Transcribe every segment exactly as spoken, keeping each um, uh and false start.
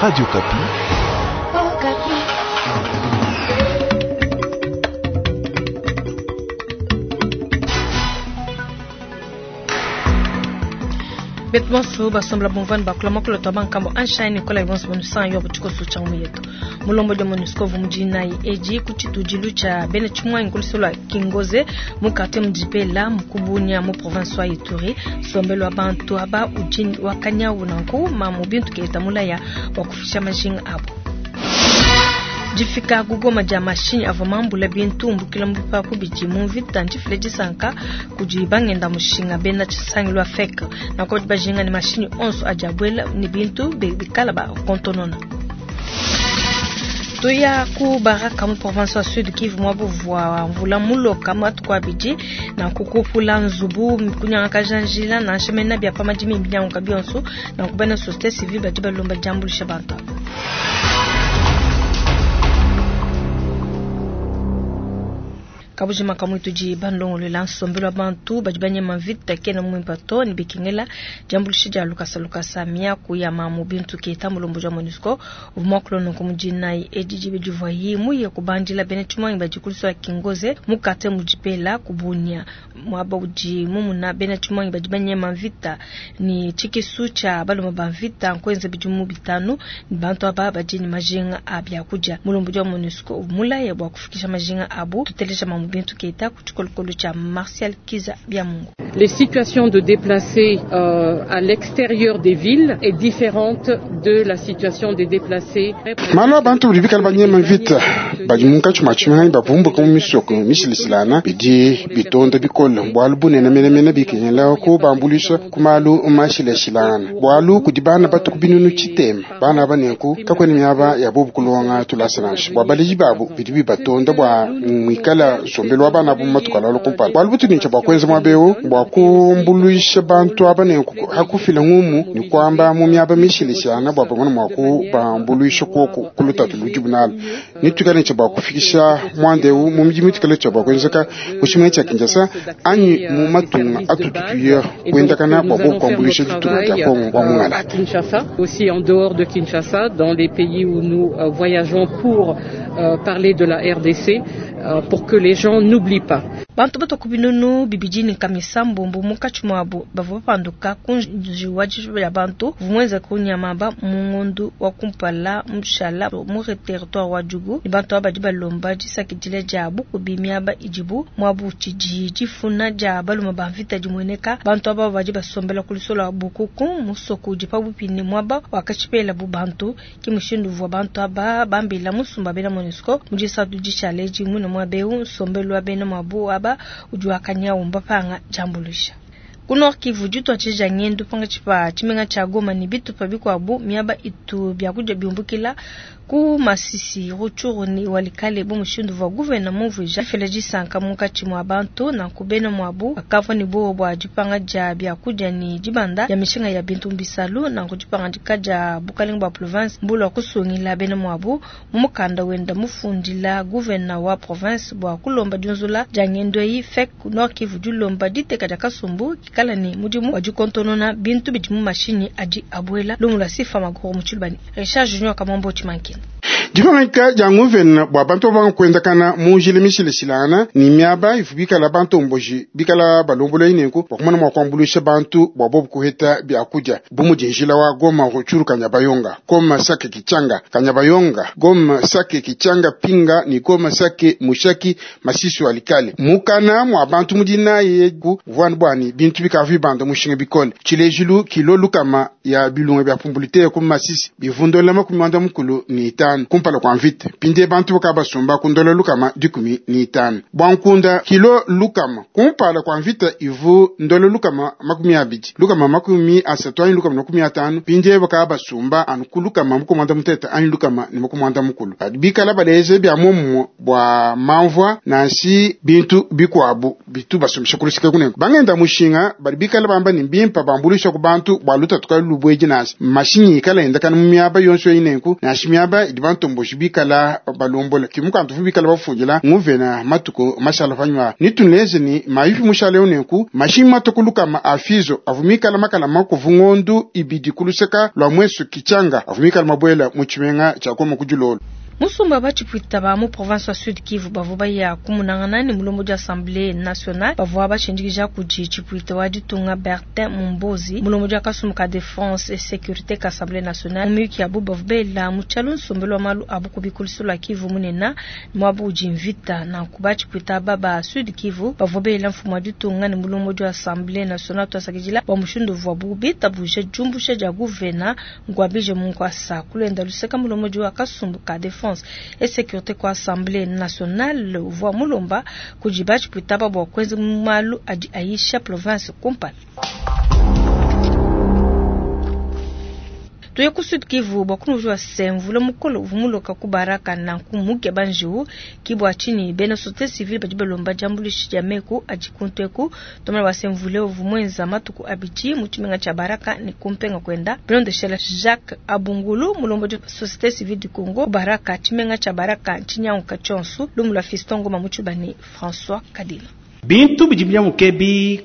Radio Okapi. Betu bonso basombola bumvani bakula makolo twa bankambo anshai nikola ibonso bonusan yo butikoso cha muyetu mulombo dia MONUSCO vumujinayi eji kuchitujilu cha bene chimwa inkulisolo kingoze mukate mujipela mukubunya mu province wa Ituri sombelo abantu aba ujini wakanya unanku mamu bintu keita mulaya wa kufisha majinga abo jifika gugoma ja mashinyi ava mambula bintu mbukila mbupa kubiji mu mvita njifile disanka kudi bangenda mushinga bena tshisangilu afek na kodi bajinga ni mashinyi onso ajabwela ni bintu bikala ba kontonona tuya ku baraka mu province wa Sud Kivu mwabuvwa mvula muloka matuku abidi na kukupula nzubu kunyanga kajanjila na nshemena bya pamadimi binyanguka bionso na kubena société civile badi balomba jambulisha bantu kabujima kamwitu ji bandongolola nsombelo wa bantu badi banyema mvita kena mwimpa to ni bikingela jambulishi dia lukasa lukasa miaku ya mamu bintu keita mulombo ja MONUSCO uvumwakulono kumujinayi edi jibe yi muye kubandila bene chimwangi bajikuliswa kingoze mukate mujipela kubunya mwaba uji mumuna bene chimwangi badi banyema mvita ni chikisu cha baloma ba mvita nkwenze bijumu bitanu ni bantu aba badi ni majinga abya kuja mulombo ja MONUSCO mulaya bwa kufikisha majinga abu tutelesha mamu bintu keita kuchikolokolo cha Martial Kiza Byamungu. Les situations de déplacés euh, à l'extérieur des villes est différente de la situation des déplacés. Malo bantu budi bikala banyema mvita badi munkatshi mua tshimenga bavumbuka mu misoko mishilishilana bidi bitonda bikole bualu bunene menemene bikengela kubambulisha ku malu mashilashilana bualu kudi bana batuku binunu tshitema bana aba nenku kakwena miaba ya bobu kulonga tulasa bua baleji babu bidi bibatonda bua mwikala sombelo wa bana bu matuku alalo kumpala bualu butunintsha bua kuenza muaba bua kumbuluisha bantu aba nenku hakufila ngumu ni kwamba mu miaba mishilishana bua bamona mua kubambuluisha kuoku kulutatu ludi bunala nitukale ntsha bua kufikisha mwandeu mu miji mitukale tsha bua kuenzeka kushimwe tsha Kinshasa anyi mu matunga atututuya kuendakana bua kuambuluisha ditunga dia Kongo wa mungalata. Kinshasa, aussi en dehors de Kinshasa, dans les pays où nous euh, voyageons pour euh, parler de la R D C, euh, pour que les gens n'oublient pas. Bantu batoku binunu bibijini kamisa mbumbu mukachi mwabo bavua bapanduka kunji wa ya bantu vumweza kunyamaba mungundu wa kumpala mshala mu territoire wa Djugu ni bantu abadi balomba disakidile jabu kubimiaba ijibu mwabu chiji jifuna ja baluma bamvita jimweneka bantu aba badi basombela kulisola bukuku musoko jipabupini mwaba wakachipela bu bantu kimushindu vwa bantu aba bambila musumba bena MONUSCO mujisatu jishale jimuna mwabeu nsombelo abena mwabu aba ujuakanya umba panga jambulisha. Ku Nord Kivu jutwa chija ngendo panga chipa chimenga cha Goma ni bitu pa bikwabu miaba itu byakuja biumbukila ku Masisi Rutshuru ni walikale bo mushindu wa gouverneur muvija feleji sanka mukachi mwa bantu na kubena mwabu akava ni bo bwa jipanga ja byakuja ni jibanda ya mishinga ya bintu mbisalu na kujipanga jikaja bukalenga bwa province mbulo kusungila bena mwabu mumukanda wenda mufundila gouverneur wa province bwa kulomba junzula jangendo yi fek Nord Kivu julomba diteka ja kasumbu kikala ni mudimu wa jikontonona bintu bidimu mashini adi abuela lumula sifa magoro muchulubani Richard Junior Kamombo Chimankina. Dipangaika dia nguvena bua bantu banga kuendakana mu njila mishilishilana ni miaba ifu bikala bantu mboji bikala balombola ineku bua kumana mua kuambuluisha bantu bua bobu kuheta biakudia bu mudi njila wa Goma Rutshuru Kanyabayonga Goma Sake Kichanga Kanyabayonga Goma Sake Kichanga Pinga ni Goma Sake Mushaki Masisi Walikale mukana mua bantu mudina yeku vwani bwani bintu bikavi banda mushinga bikole tshilejilu kilo lukama ya bilunga bya pumbulite ku Masisi bivundola makumi manda mukulu ni itanu kumpala kwa mvita pinde bantu bakabasumba kundola lukama dikumi ni itanu bwankunda kilo lukama kumpala kwa mvita ivu ndola lukama makumi abidi lukama makumi asatu anyi lukama makumi atanu pinde bakabasumba anu kulukama mukumanda muteta anyi lukama ni mukumanda mukulu bikala baleze bya momo bwa mamvwa nansi bintu bikwabu bitu basumisha kulusika kunengo bangenda mushinga bali bikala bamba ni mbimpa bambulisha ku bantu bwa lutatu kalu lubweji nasi mashinyi ikala endakana mu miaba yonso inenku nasi miaba idi bantu bantomboji bikala balombola ki mukandu uvua bikala bafundila nguvena matuku mashala panyima nituneze ni maifi mushale unenku mashinyi matuku lukama afizo avua mikala makala makuvu ngondu ibidi kuluseka lwa mwesu kichanga avua mikala mabwela mu tshimenga tshia Goma kudilolo. Musumba bachipwita ba mu province wa Sud Kivu bavua baya kumunangana ni mulombo dia Assemblée nationale bavua bashindikija kudi chipwita wa ditunga Bertin Mumbozi mulombo dia kasumbu ka défense et sécurité ka Assemblée nationale muyuki abu bavua bela mu tshialu nsombelu wa malu abu kubikuliso lwa Kivu munena mwabu udi mvita nanku bachipwita aba ba Sud Kivu bavua bela mfumu wa ditunga ni mulombo dia Assemblée nationale twasakidila bua mushindu uvua bitabuje diumbusha dia guvena ngwabije munkwasa kulenda luseka mulombo dia kasumbu ka défense et sécurité kwa Assemblée nationale uvua mulomba kudi bachipwita bua kuenza malu adi aisha province kumpala. Tuye ku Sud Kivu bua kunujua se mvula mukolo uvua muloka ku Baraka nanku muke banjiu kibwa chini bena société civile badi balomba diambuluisha dia meku adi kuntu eku tomala wa se mvula uvua muenza matuku abidi mu tshimenga tshia Baraka ni kumpenga kwenda bilondeshela Jacques Abungulu mulombo di société civile du Congo Baraka tshimenga tshia Baraka ntshinyanguka tshionso lumu lua Fiston Ngoma mu tshibani François Kadima. Bintu bidi bya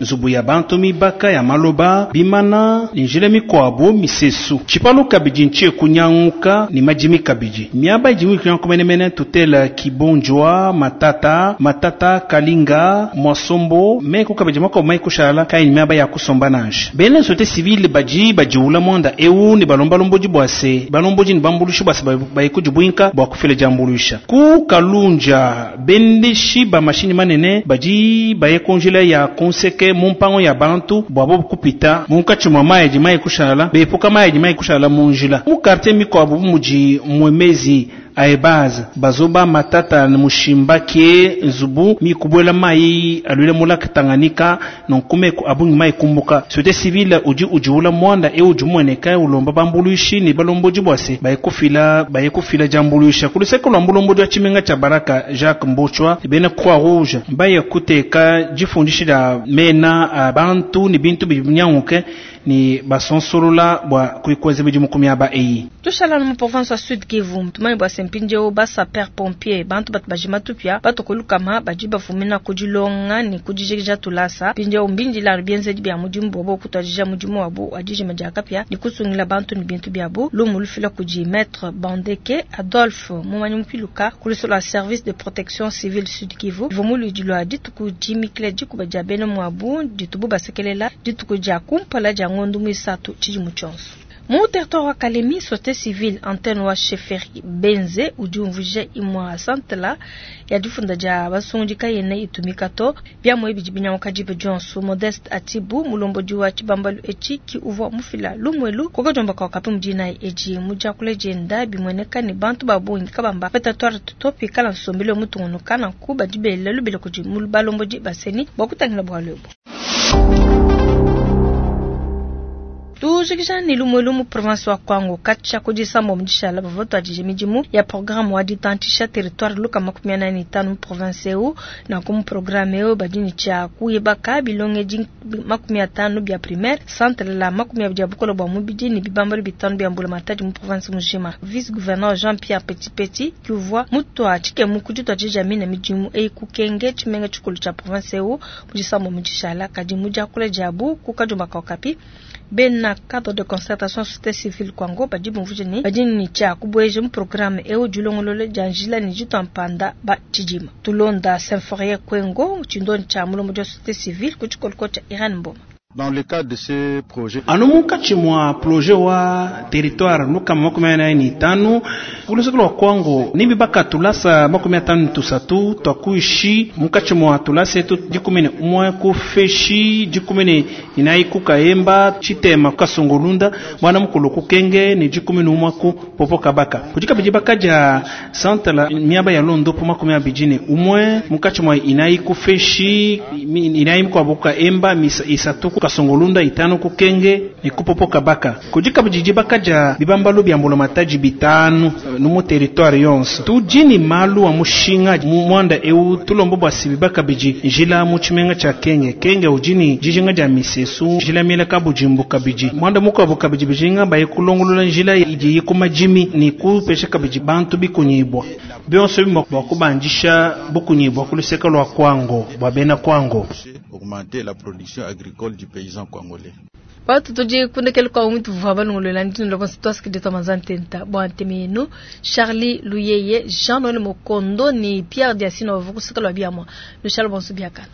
nzubu ya bantu mibaka ya maloba bimana njila mikwabu misesu tshipalu kabidi ntshie kunyanguka ni madimi kabidi miaba idi mikunyanguka menemene tutela kibonjwa matata matata kalinga mwasombo meku kabidi makuabu maikushala kai ni miaba ya kusomba nansha bena société civile badi badiwula mwanda eu ni balomba lombodi bua se balombodi ni bambulushi bua se baikudibwinka bua kufila diambuluisha ku kalunja bendeshi ba mashini manene badi baye kunjila ya kunseke mumpango ya bantu bwabo kupita munkatshi mwa mayi adi mayi kushala bepuka mayi adi mayi kushala munjila mu quartier mikuabu mudi mwemezi aebaza bazoba matata na mushimbake nzubu mikubwela mayi alwile mulaka Tanganyika nonkume abungi mayi kumbuka société civile udi ujiula mwanda e udi mweneka ulomba bambuluishi ni balombodi bwase baye kufila baye kufila jambuluisha kuluseko lwa mbulombo wa tshimenga tsha Baraka Jacques Mbochwa bena Croix Rouge baye kuteka jifundisha da mena abantu ni bintu binyanguke ni basonsolola bwa kuikweza bidimu aba eyi tushala mu province ya Sud Kivu tumani bwa sempinjeo ba sapeur pompier bantu batu bajima tupia batokolukama badi bafumina kudilonga ni kudijikija tulasa pinjeo mbindila bienzedi bya mudimu bobo kutwajija mudimu wabo adijima dia kapia ni kusungila bantu ni bintu byabo lumu lufila kudi maître Bandeke Adolphe mumanyi mupiluka kulisola service de protection civile Sud Kivu vomulu dilwa dituku dimikile dikuba dia bena mwabu ditubu basekelela dituku dia kumpala dia ngondu mwisatu tshidimu tshionso. Mu territoire wa Kalemi, société civile antenne wa chefferie Benze udi umvuje imwa santela ya difunda dia basungi kayene itumika to bya bidi binyanguka dibe Johnson Modeste Atibu mulombodi wa tshibambalu etshi ki uvua mufila lumwelu kokajomba kwa kapi mudina eji mujakule jenda bimweneka ni bantu babungi kabamba territoire tutopi kala nsombelo mutungunuka na kuba dibele lubile kudi balombodi baseni bwakutangila bwalwebo. Tujikija ni lumwelu mu province wa Kwango kacha kudisa mudishala bavoto adije midimu ya programme wa ditantisha territoire luka makumi ane na itanu mu province eu na kumu programme eu badini cha kuyebaka bilonge di makumi atanu bya primaire centre la makumi abidi ya bukolo bwa mubidi ni bibambalo bitanu bya mbula matadi mu province mujima. Vice gouverneur Jean-Pierre Petit Petit kiuvwa mutu achike mukuji twajija mina midimu ei kukenge tshimenga tshikulu tsha province eu mudisa mudishala kadi mujakule jabu kukajumba kapi bena cadre de concertation société civile Kwango badi bumvuje badi ni cha kubweje mu programme eu dilongolole dia njila ni jitampanda ba tshidima tulonda Symphorien Kwengo tshindoni tsha mulombo dia société civile ku tshikoloko tsha Irène Mboma. Dans le cadre de ce projet, anu munkatshi mwa projet wa territoire lukama makumi anayi ni tanu kuluseke lwa Kwango nimbi baka tulasa makumi atanu tusatu twakuishi munkatshi mwa tulasa etu dikumi ne umwe kufeshi dikumi ne inayi kukayemba tshitema kukasongolunda mwana mukulu kukenge ni dikumi ne umwe ku popo kabaka kudi kabidi bakadia centre la miaba ya londo po makumi abidi ne umwe munkatshi mwa inayi kufeshi inayi mikuabu kukayemba misa isatu Kasongolunda, itanu ku Kenge ne ku Popokabaka. Kudi kabidi dibaka dia bibambalu bia mbulamatadi bitanu nu mu territoire yonso. Tudi ne malu a mushinga mu muanda eu tulomba bua se bibaka kabidi njila mu tshimenga tshia Kenge. Kenge udi ne dijinga dia misesu, njila miela kabudimbu kabidi. Muanda mukuabu kabidi bijinga baye kulongolola njila idi ku madimi ne kupesha kabidi bantu bikunyibwa. Bionso ebi bua kubandisha bukunyibwa ku luseke lua Kwango bua bena Kwango. Augmenter la production agricole du paysan congolais. Batu tudi kundekele kwa umuntu vua balongolola ndino lobonso twasikidita manzantenta bua nteme yenu Charlie Luyeye Jean Noël Mokondo ni Pierre Diasino bavukusika lwa biamwa lushalo bonso biakana.